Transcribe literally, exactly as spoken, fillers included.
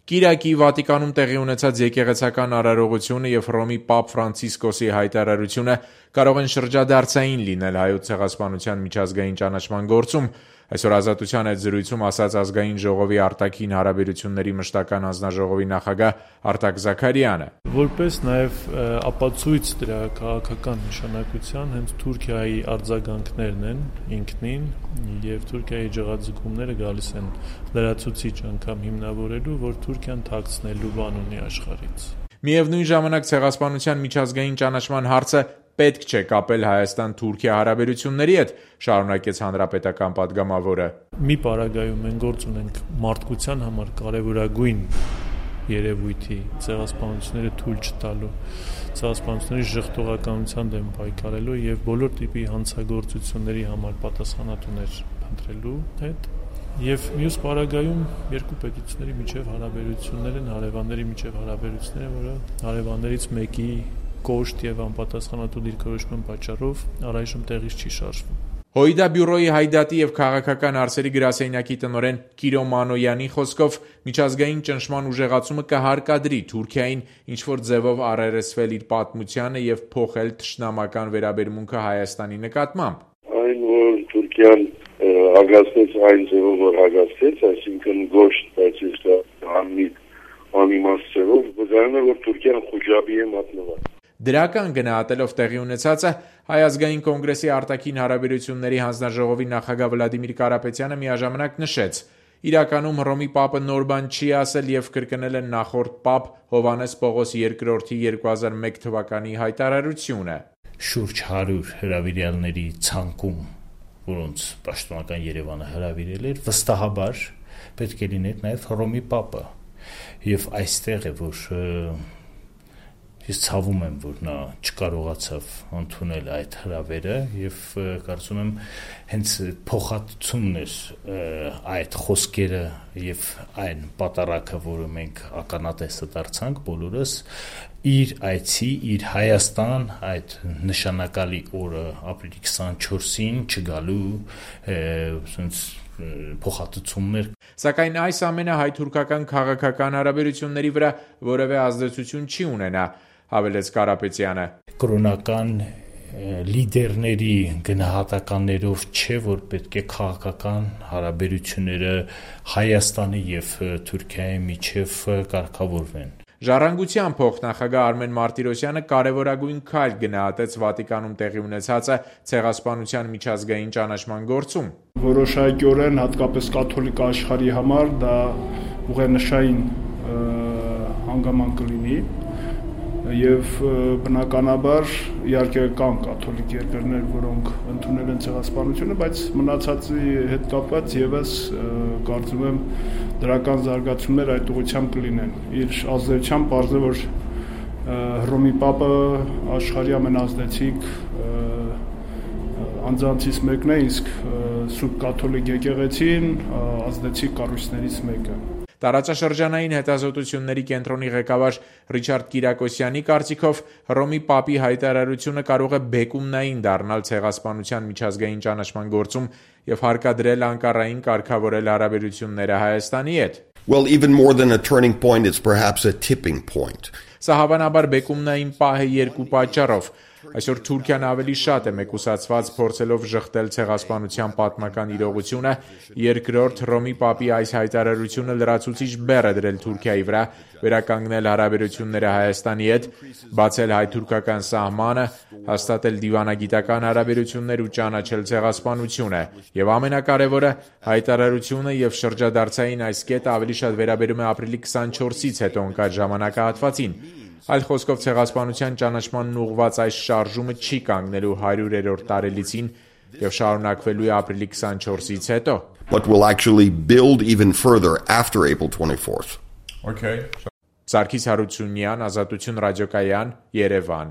Կիրակի Վատիկանում տեղի ունեցած եկեղեցական արարողությունը և Հռոմի Պապ Ֆրանցիսկոսի հայտարարությունը կարող են շրջադարձային լինել Հայոց ցեղասպանության միջազգային ճանաչման գործում, այսօր Ազատության հետ զրույցում ասաց Ազգային ժողովի արտաքին հարաբերությունների մշտական հանձնաժողովի նախագահ Արտակ Զաքարյանը. Որպես նաև ապացույց դրա քաղաքական նշանակության հենց Թուրքիայի արձագանքներն են ինքնին և Թուրքիայի ջղաձգումները գալիս են լրացուցիչ անգամ հիմնավորելու, որ Թուրքիան թաքցնելու բան ունի աշխարհից։ Միևնույն ժամանակ ցեղասպանության միջազգային ճանաչման հարցը պետք չէ կապել Հայաստան-Թուրքիա հարաբերությունների հետ, շարունակեց հանրապետական պատգամավորը։ Մի պարագայում մենք գործ ունենք մարդկության համար կարևորագույն երևույթի ցեղասպանությունները թույլ չտալու, ցեղասպանությունների ժխտողականության դեմ պայքարելու և բոլոր տիպի հանցագործությունների համար պատասխանատուներ փնտրելու հետ։ Եվ մյուս պարագայում երկու պետությունների միջև հարաբերություններ են, հարևանների միջև հարաբերությունները, որը հարևաններից մեկի կոշտ և անպատասխանատու դիրքորոշման պատճառով առայժմ տեղից չի շարժվում։ ՀՅԴ բյուրոյի հայդատի և քաղաքական հարցերի գրասենյակի տնօրեն Կիրո Մանոյանի խոսքով միջազգային ճնշման ուժեղացումը կհարկադրի Թուրքիային ինչ-որ ձևով առերեսվել իր պատմությանը և փոխել թշնամական վերաբերմունքը Հայաստանի նկատմամբ։ Այն, որ Թուրքիան հագացնեց այն ձևով, որ հագացեց, այսինքն գոշտ, բայց իսկ անմիտ, անիմաստ ձևով, վկայում է, որ Թուրքիան խուժաբի է մատնված։ Դրական գնահատելով տեղի ունեցածը Հայ ազգային կոնգրեսի արտաքին հարաբերությունների հանձնաժողովի նախագահ Վլադիմիր Կարապետյանը միաժամանակ նշեց. իրականում Հռոմի Պապը նոր բան չի ասել և կրկնել է նախորդ Պապ Հովհաննես Պողոս երկրորդի երկու հազար մեկ թվականի հայտարարությունը։ Շուրջ հարյուր հրավիրյալների ցանկում, որոնց պաշտոնական Երևանը հրավիրել էր, վստահաբար պետք է լիներ նաև Հռոմի Պապը։ Եվ այստեղ է, որ ես ցավում եմ, որ նա չկարողացավ ընդունել այդ հրավերը և կարծում եմ հենց փոխհատուցումն էր այդ խոսքերը և այն պատարագը, որը մենք ականատեսը դարձանք բոլորս, իր այցի, իր Հայաստան, այդ նշանակալի օրը ապրիլի քսանչորսին չգալու փոխհատուցումներ։ Սակայն այս ամենը հայ-թուրքական քաղաքական հարաբերությունների վրա որևէ ազդեցություն չի ունենա, հավելեց Կարապետյանը։ Կրոնական լիդերների գնահատականներով չէ, որ պետք է քաղաքական հարաբերությունները Հայաստանի և Թուրքիայի միջև կարգավորվեն։ Ժառանգության փոխնախագահ Արմեն Մարտիրոսյանը կարևորագույն քայլ գնահատեց Վատիկանում տեղի ունեցածը ցեղասպանության միջազգային ճանաչման գործում։ Որոշակիորեն հատկապես կաթոլիկ աշխարհի համար դա ուղենշային հանգամանք կլինի և բնականաբար իհարկե կան կաթոլիկ երկրներ, որոնք ընդունել են ցեղասպանությունը, բայց մնացածի հետ կապված եւս կարծում եմ դրական զարգացումներ այդ ուղղությամբ կլինեն։ Իր ազդեցությամբ պարզ է, որ Հռոմի Պապը աշխարհի ամենազդեցիկ անձանցից մեկն է, իսկ Սուրբ կաթոլիկ եկեղեցին ազդեցիկ կառույցներից մեկը։ Տարածաշրջանային հետազոտությունների կենտրոնի ղեկավար Ռիչարդ Կիրակոսյանի կարծիքով Հռոմի Պապի հայտարարությունը կարող է բեկումնային դառնալ ցեղասպանության միջազգային ճանաչման գործում և հարկադրել Անկարային կարգավորել հարաբերությունները Հայաստանի հետ։ Well, even more than a turning point, it's perhaps a tipping point. Սա հավանաբար բեկումնային պահ է երկու պատճառով։ Այսօր Թուրքիան ավելի շատ է մեկուսացված փորձելով ժխտել ցեղասպանության պատմական իրողությունը, երկրորդ Հռոմի Պապի այս հայտարարությունը լրացուցիչ բեռ է դրել Թուրքիայի վրա, վերականգնել հարաբերությունները Հայաստանի հետ, բացել հայ-թուրքական սահմանը, հաստատել դիվանագիտական հարաբերություններ ու ճանաչել ցեղասպանությունը, եւ ամենակարևորը հայտարարությունը եւ շրջադարձային այս կետը ավելի շատ վերաբերում է ապրիլի քսանչորսից հետո ընկած ժամանակահատվածին։ Այլ խոսքով ցեղասպանության ճանաչմանն ուղղված այս շարժումը չի կանգնելու հարյուրերորդ տարելիցին եւ շարունակվելու է ապրիլի քսանչորսից հետո։ But will actually build even further after April twenty-fourth. Okay. Սարգիս Հարությունյան, Ազատություն ռադիոկայան, Երևան։